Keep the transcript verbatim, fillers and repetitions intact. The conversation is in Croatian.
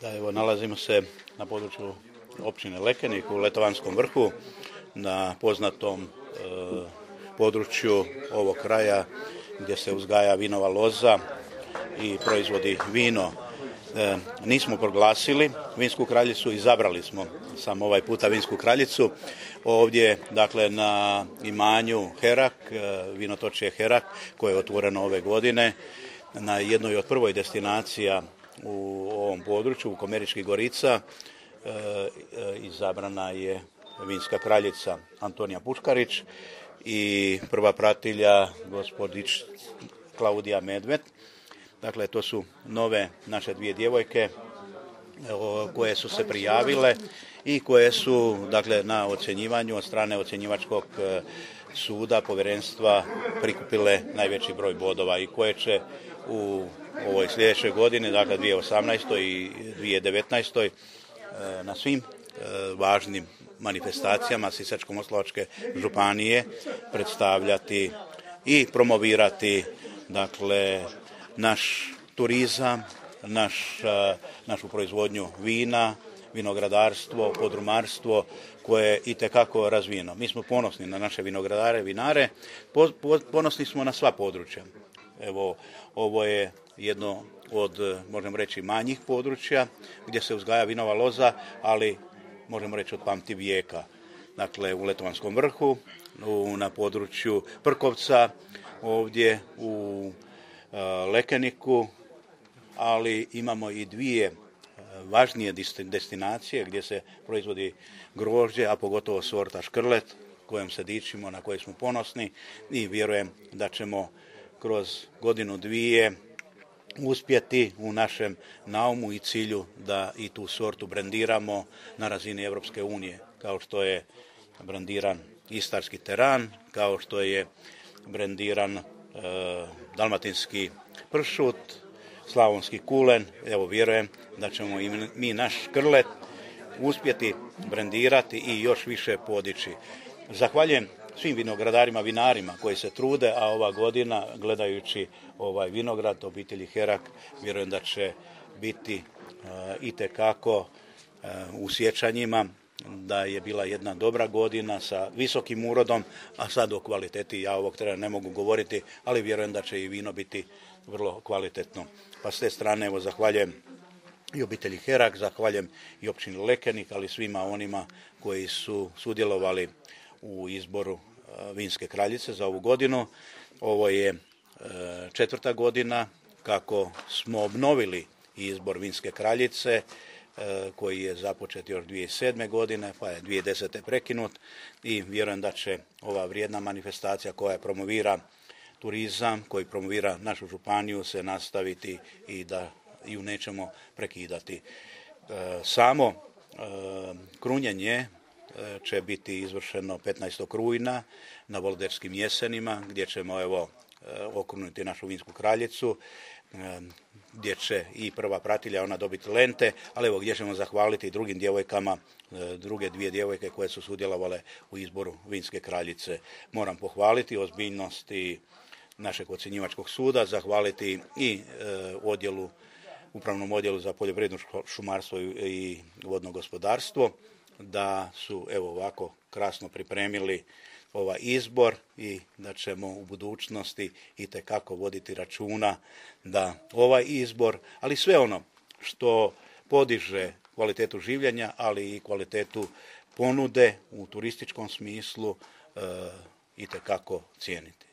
Da, evo, nalazimo se na području općine Lekenik u Letovanskom vrhu, na poznatom e, području ovog kraja gdje se uzgaja vinova loza i proizvodi vino. E, nismo proglasili vinsku kraljicu, izabrali smo samo ovaj puta vinsku kraljicu. Ovdje, dakle, na imanju Herak, e, vinotočje Herak, koje je otvoreno ove godine, na jednoj od prvoj destinacija u ovom području, u Komeričkih Gorica, e, e, izabrana je vinska kraljica Antonija Puškarić i prva pratilja gospodić Klaudija Medved. Dakle, to su nove naše dvije djevojke koje su se prijavile i koje su, dakle, na ocjenjivanju od strane ocjenjivačkog suda povjerenstva prikupile najveći broj bodova i koje će u ovoj sljedećoj godini, dakle dvije tisuće osamnaestoj i dvije tisuće devetnaestoj na svim važnim manifestacijama Sisačko-moslavačke županije predstavljati i promovirati, dakle, naš turizam, naš, našu proizvodnju vina, vinogradarstvo, podrumarstvo koje je itekako razvijeno. Mi smo ponosni na naše vinogradare, vinare, ponosni smo na sva područja. Evo, ovo je jedno od, možemo reći, manjih područja gdje se uzgaja vinova loza, ali možemo reći od pamti vijeka. Dakle, u Letovanskom vrhu, u, na području Prkovca, ovdje u uh, Lekeniku, ali imamo i dvije važnije destinacije gdje se proizvodi grožđe, a pogotovo sorta škrlet, kojom se dičimo, na kojoj smo ponosni i vjerujem da ćemo kroz godinu dvije uspjeti u našem naumu i cilju da i tu sortu brendiramo na razini Europske unije, kao što je brendiran istarski teran, kao što je brendiran e, dalmatinski pršut, slavonski kulen. Evo, vjerujem da ćemo i mi naš škrlet uspjeti brendirati i još više podići. Zahvaljujem svim vinogradarima, vinarima koji se trude, a ova godina, gledajući ovaj vinograd obitelji Herak, vjerujem da će biti uh, itekako uh, u sjećanjima da je bila jedna dobra godina sa visokim urodom, a sad o kvaliteti ja ovog trena ne mogu govoriti, ali vjerujem da će i vino biti vrlo kvalitetno. Pa s te strane, evo, zahvaljujem i obitelji Herak, zahvaljujem i općini Lekenik, ali svima onima koji su sudjelovali u izboru vinske kraljice za ovu godinu. Ovo je četvrta godina kako smo obnovili izbor vinske kraljice, koji je započet još dvije tisuće sedme. godine, pa je dvije tisuće desete. prekinut i vjerujem da će ova vrijedna manifestacija koja promovira turizam, koji promovira našu županiju, se nastaviti i da ju nećemo prekidati. Samo krunjenje će biti izvršeno petnaestog rujna na Volderskim jesenima, gdje ćemo, evo, okruniti našu vinsku kraljicu, gdje će i prva pratilja ona dobiti lente, ali evo, gdje ćemo zahvaliti i drugim djevojkama, druge dvije djevojke koje su sudjelovale u izboru vinske kraljice. Moram pohvaliti ozbiljnost i našeg ocjenjivačkog suda, zahvaliti i e, odjelu, upravnom odjelu za poljoprivredno šumarstvo i vodno gospodarstvo, da su, evo, ovako krasno pripremili ovaj izbor i da ćemo u budućnosti itekako voditi računa da ovaj izbor, ali sve ono što podiže kvalitetu življenja, ali i kvalitetu ponude u turističkom smislu, e, itekako cijeniti.